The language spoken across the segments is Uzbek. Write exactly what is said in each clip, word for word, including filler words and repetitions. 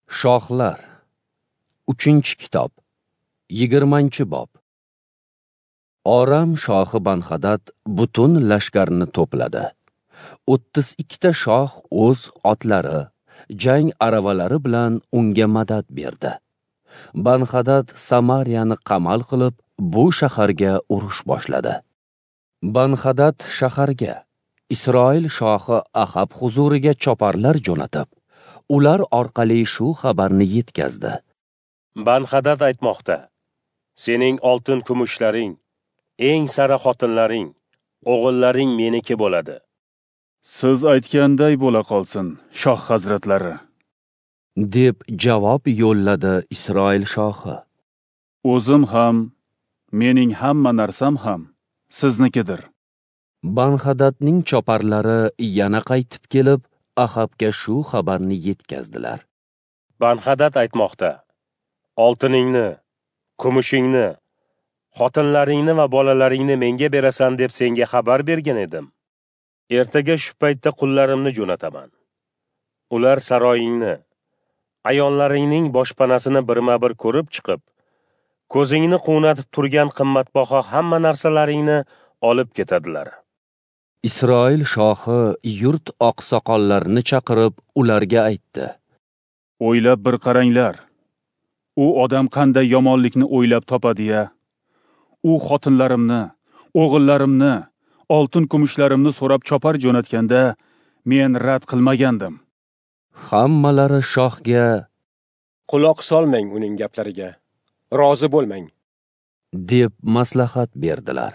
Shohlar, uchinchi kitob, yigirmanchi bob. Oram shohi Banxadad butun lashkarni to'pladi. O'ttiz ikkita shoh o'z otlari, jang aravalari bilan unga madad berdi. Banxadad Samariyani qamal qilib, bu shaharga urush boshladi. Banxadad shaharga Isroil shohi Ahab huzuriga choparlar jo'natib, ular orqali shu xabarni yetkazdi. Banxadad aytmoqda: sening oltin kumushlaring, eng sara xotinlaring, o'g'illaring meniki bo'ladi. Siz aytganday bo'la qolsin, shoh hazratlari, deb javob yo'lladi Isroil shohi. O'zim ham, mening hamma narsam ham siznikidir. Banxadadning choparlari yana qaytib kelib, Ahabga shu xabarni yetkazdilar. Banxadad aytmoqda: oltiningni, kumushingni, xotinlaringni va bolalaringni menga berasan deb senga xabar bergan edim. Ertaga shu paytda qullarimni jo'nataman. Ular saroyingni, ayollaringning boshpanasini birma-bir ko'rib chiqib, ko'zingni quvnatib turgan qimmatbaho hamma narsalaringni olib ketadilar. Isroil shohi yurt oqsoqollarini chaqirib, ularga aytdi: O'ylab bir qaranglar. U odam qanday yomonlikni o'ylab topadi-ya? U xotinlarimni, o'g'illarimni, oltin kumushlarimni so'rab chopar jo'natganda men rad qilmagandim. Hammalari shohga: Quloq solmang uning gaplariga, rozi bo'lmang, deb maslahat berdilar.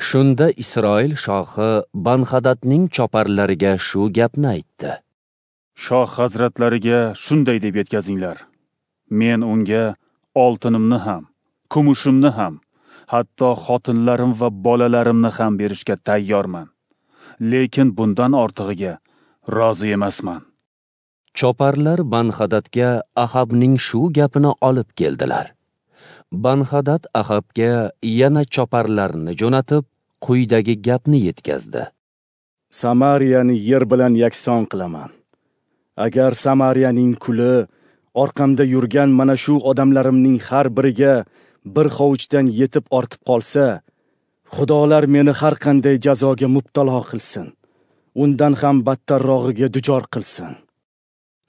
Shunda Isroil shohi Banxadadning choparlariga shu gapni aytdi: Shoh hazratlariga shunday deb yetkazinglar: men unga oltinimni ham, kumushimni ham, hatto xotinlarim va bolalarimni ham berishga tayyorman. Lekin bundan ortig'iga rozi emasman. Choparlar Banxadadga Ahabning shu gapini olib keldilar. Banxadad Ahabga yana choparlarni jo'natib, quyidagi gapni yetkazdi: Samariyani yer bilan yakson qilaman. Agar Samariyaning kuli orqamda yurgan mana shu odamlarimning har biriga bir hovuchdan yetib ortib qolsa, xudolar meni har qanday jazoga mubtalo qilsin, undan ham battarrog'iga duchor qilsin.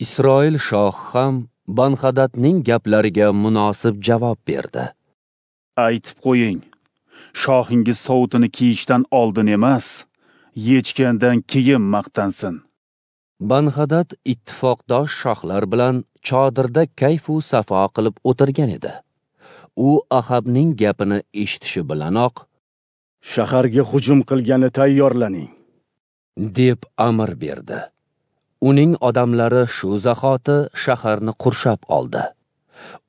Isroil shohi ham Banxadadning gaplariga munosib javob berdi. Aytib qo'ying, shohingiz sovutini kiyishdan oldin emas, yechgandan keyin maqtansin. Banxadad ittifoqdosh shohlar bilan chodirda kayfu safo qilib o'tirgan edi. U Ahabning gapini eshitishi bilanoq, shaharga hujum qilgani tayyorlaning, deb amr berdi. Uning odamlari shu zahoti shaharni qurshab oldi.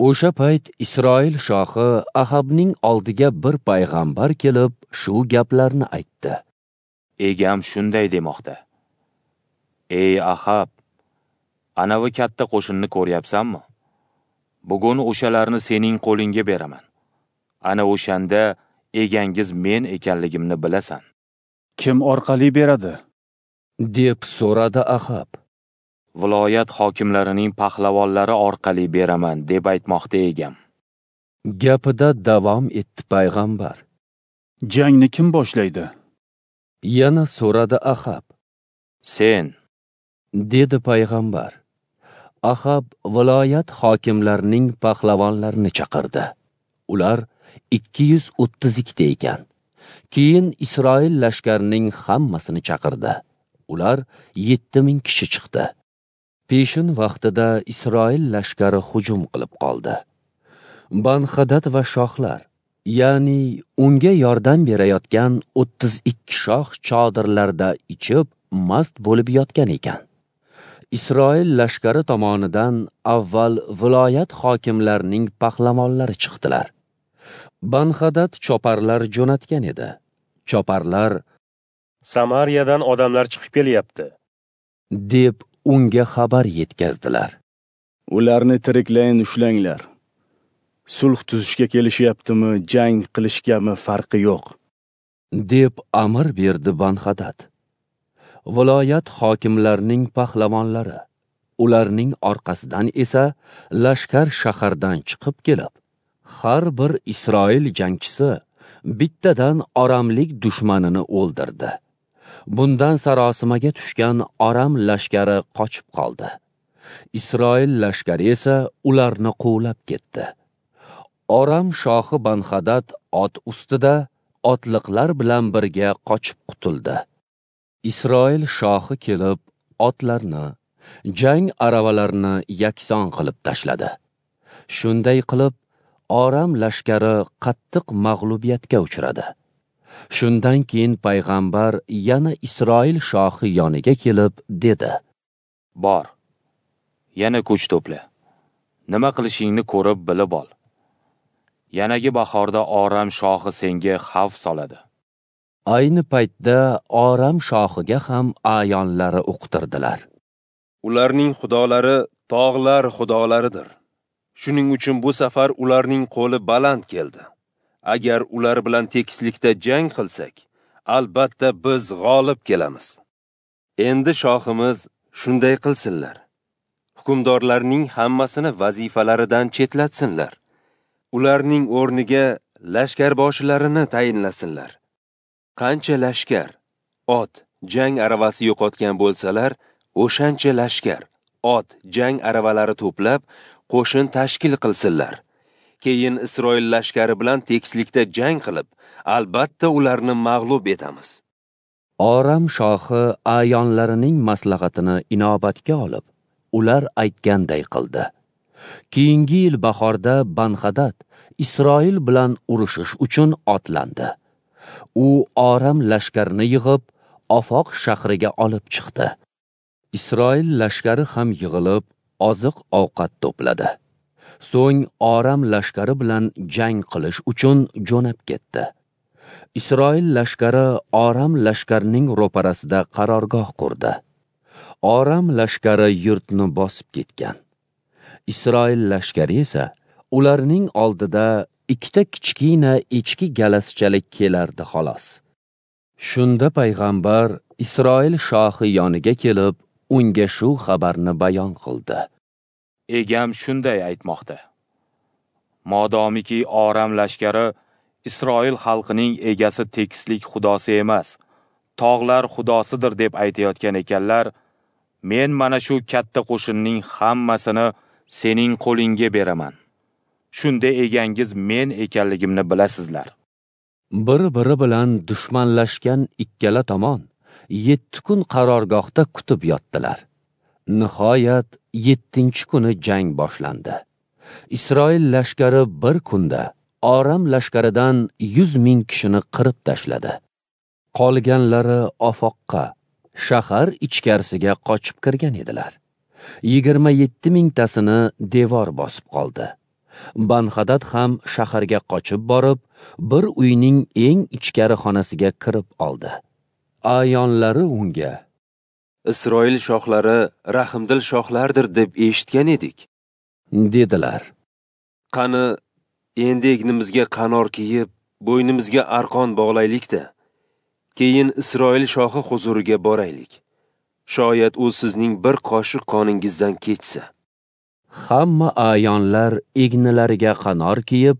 O'sha payt Isroil shohi Ahabning oldiga bir payg'ambar kelib, shu gaplarni aytdi. Egam shunday demoqda: Ey Ahab, anavi katta qo'shinni ko'ryapsanmi? Bugun o'shalarni sening qo'lingga beraman. Ana o'shanda egangiz men ekanligimni bilasan. Kim orqali beradi? deb so'radi Ahab. Viloyat hokimlarining pahlavonlari orqali beraman, deb aytmoqda egam. Gapida davom etdi payg'ambar. Jangni kim boshlaydi? Yana so'radi Ahab. Sen, dedi payg'ambar. Ahab viloyat hokimlarining pahlavonlarini chaqirdi. Ular ikki yuz o'ttiz ikkita ekan. Keyin Isroil lashkarining hammasini chaqirdi. Ular yetti ming kishi chiqdi. Peshin vaqtida Isroil lashkari hujum qilib qoldi. Banxadad va shohlar, ya'ni unga yordam berayotgan o'ttiz ikki shoh chodirlarda ichib, mast bo'lib yotgan ekan. Isroil lashkari tomonidan avval viloyat hokimlarining pahlavonlari chiqdilar. Banxadad choparlar jo'natgan edi. Choparlar: Samariyadan odamlar chiqib kelyapti, deb unga xabar yetkazdilar. Ularni tiriklayin ushlanglar. Sulh tuzishga kelishyaptimi, jang qilishgami farqi yo'q, deb amr berdi Banxadad. Viloyat hokimlarining pahlavonlari, Ularning orqasidan esa lashkar shahardan chiqib kelib, har bir Isroil jangchisi bittadan oramlik dushmanini o'ldirdi. Bundan sarosimaga tushgan Aram lashkari qochib qoldi. Isroil lashkari esa ularni quvlab ketdi. Aram shohi Banxadad ot ustida otliqlar bilan birga qochib qutuldi. Isroil shohi kelib otlarni, jang aravalarini yakson qilib tashladi. Shunday qilib Aram lashkari qattiq mag'lubiyatga uchradi. Shundan keyin payg'ambar yana Isroil shohi yoniga kelib dedi: Bor, yana kuch to'pla. Nima qilishingni ko'rib bilib ol. Yanagi bahorda Aram shohi senga xavf soladi. Ayni paytda Aram shohiga ham a'yonlari uqtirdilar. Ularning xudolari tog'lar xudolaridir. Shuning uchun bu safar ularning qo'li baland keldi. Agar ular bilan tekislikda jang qilsak, albatta biz g'olib kelamiz. Endi shohimiz shunday qilsinlar. Hukmdorlarning hammasini vazifalaridan chetlatsinlar. Ularning o'rniga lashkarboshilarini tayinlasinlar. Qancha lashkar, ot, jang aravasi yo'qotgan bo'lsalar, o'shancha lashkar, ot, jang aravalari to'plab, qo'shin tashkil qilsinlar. Keyin Isroil lashkari bilan tekislikda jang qilib, albatta ularni mag'lub etamiz. Aram shohi a'yonlarining maslahatini inobatga olib, ular aytganday qildi. Keyingi yil bahorda Banxadad Isroil bilan urushish uchun otlandi. U Aram lashkarini yig'ib, Ofoq shahriga olib chiqdi. Isroil lashkari ham yig'ilib, oziq-ovqat to'pladi. So'ng Aram lashkari bilan jang qilish uchun jo'nab ketdi. Isroil lashkari Aram lashkarining ro'parasida qarorgoh qurdi. Aram lashkari yurtni bosib ketgan. Isroil lashkari esa ularning oldida ikkita kichkina echki galasichalik kelardi xolos. Shunda payg'ambar Isroil shohi yoniga kelib, unga shu xabarni bayon qildi. Egam shunday aytmoqda: Modomiki Aram lashkari Isroil xalqining egasi tekislik xudosi emas, tog'lar xudosidir deb aytayotgan ekanlar, men mana shu katta qo'shinning hammasini sening qo'lingga beraman. Shunda egangiz men ekanligimni bilasizlar. Bir-biri bilan dushmanlashgan ikkala tomon yetti kun qarorgohda kutib yotdilar. Nihoyat yettinchi kuni jang boshlandi. Isroil lashkari bir kunda Aram lashkaridan yuz ming kishini qirib tashladi. Qolganlari Ofoqqa, shahar ichkarisiga qochib kirgan edilar. Yigirma yetti mingtasini devor bosib qoldi. Banxadad ham shaharga qochib borib, bir uyning eng ichkari xonasiga kirib oldi. A'yonlari unga: Isroil shohlari rahimdil shohlardir deb eshitgan edik, dedilar. Qani, endi egnimizga qanor kiyib, bo'ynimizga arqon bog'laylik-da. Keyin Isroil shohi huzuriga boraylik. Shoyat u sizning bir qoshiq qoningizdan kechsa. Hamma a'yonlar egnilariga qanor kiyib,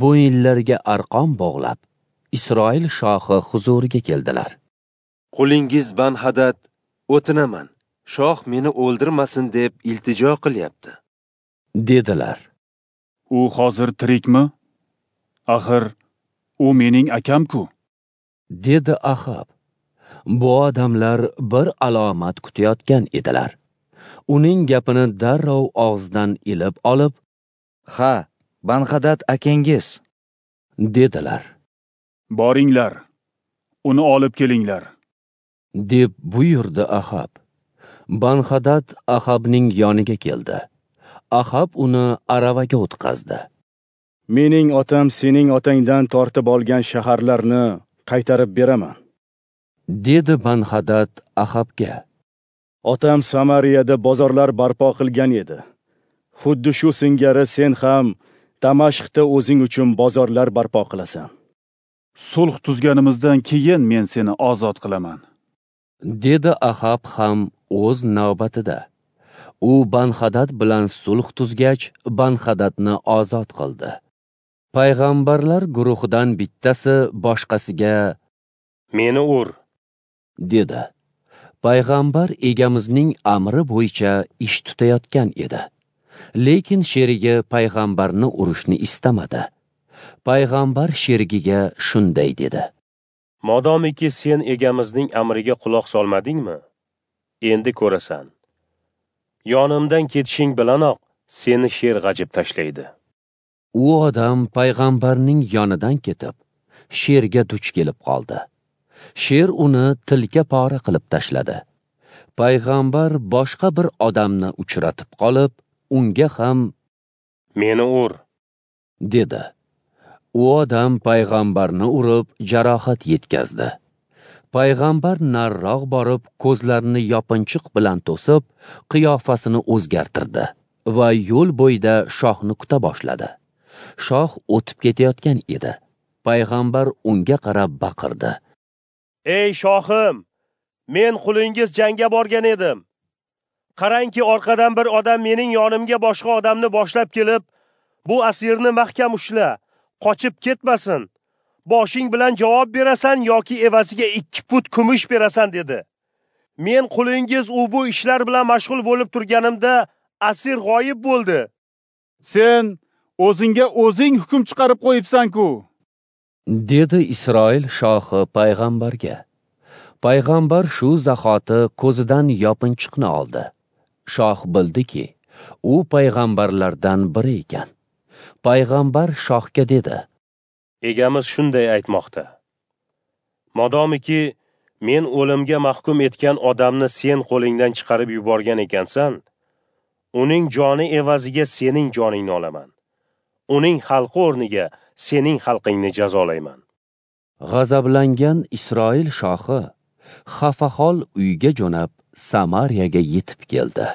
bo'yinlariga arqon bog'lab, Isroil shohi huzuriga keldilar. Qulingiz Banxadad, o'tinaman, shoh meni o'ldirmasin deb iltijo qilyapti, dedilar. U hozir tirikmi? Axir u mening akam-ku, dedi Ahab. Bu odamlar bir alomat kutayotgan edilar. Uning gapini darrov og'zidan ilib olib, "Ha, Banxadad akangiz", dedilar. Boringlar, uni olib kelinglar, deb buyurdi Ahab. Banxadad Ahabning yoniga keldi. Ahab uni aravaga o'tqazdi. Mening otam sening otangdan tortib olgan shaharlarni qaytarib beraman, dedi Banxadad Ahabga. Otam Samariyada bozorlar barpo qilgan edi. Xuddi shu singari sen ham Damashqda o'zing uchun bozorlar barpo qilasan. Sulh tuzganimizdan keyin men seni ozod qilaman, dedi Ahab ham o'z navbatida. U Banhadad bilan sulh tuzgach, Banhadadni ozod qildi. Payg'ambarlar guruhidan bittasi boshqasiga "Meni ur" dedi. Payg'ambar egamizning amri bo'yicha ish tutayotgan edi. Lekin sherigi payg'ambarni urishni istamadi. Payg'ambar sherigiga shunday dedi: "Modomiki sen egamizning amriga quloq solmadingmi, endi ko'rasan. Yonimdan ketishing bilanoq seni sher g'ajib tashlaydi." U odam payg'ambarning yonidan ketib, sherga duch kelib qoldi. Sher uni tilka pora qilib tashladi. Payg'ambar boshqa bir odamni uchratib qolib, unga ham "Meni ur" dedi. U odam payg'ambarni urib jarohat yetkazdi. Payg'ambar nariroq borib, ko'zlarini yopinchiq bilan to'sib, qiyofasini o'zgartirdi va yo'l bo'yida shohni kuta boshladi. Shoh o'tib ketayotgan edi. Payg'ambar unga qarab baqirdi: "Ey shohim, men qulingiz jangga borgan edim. Qarangki, orqadan bir odam mening yonimga boshqa odamni boshlab kelib, bu asirni mahkam ushla, qochib ketmasin. Boshing bilan javob berasan yoki evaziga ikki put kumush berasan" dedi. Men qulingiz u bu ishlar bilan mashg'ul bo'lib turganimda asir g'oyib bo'ldi. Sen o'zingga o'zing hukm chiqarib qo'yibsan-ku, dedi Isroil shohi payg'ambarga. Payg'ambar shu zahoti ko'zidan yopinchiqni oldi. Shoh bildiki, u payg'ambarlardan biri ekan. Payg'ambar shohga dedi: "Egamiz shunday aytmoqda: Modomiki men o'limga mahkum etgan odamni sen qo'lingdan chiqarib yuborgan ekansan, uning joni evaziga sening joningni olaman. Uning xalqi o'rniga sening xalqingni jazolayman." G'azablangan Isroil shohi xafahol uyga jo'nab Samariyaga yetib keldi.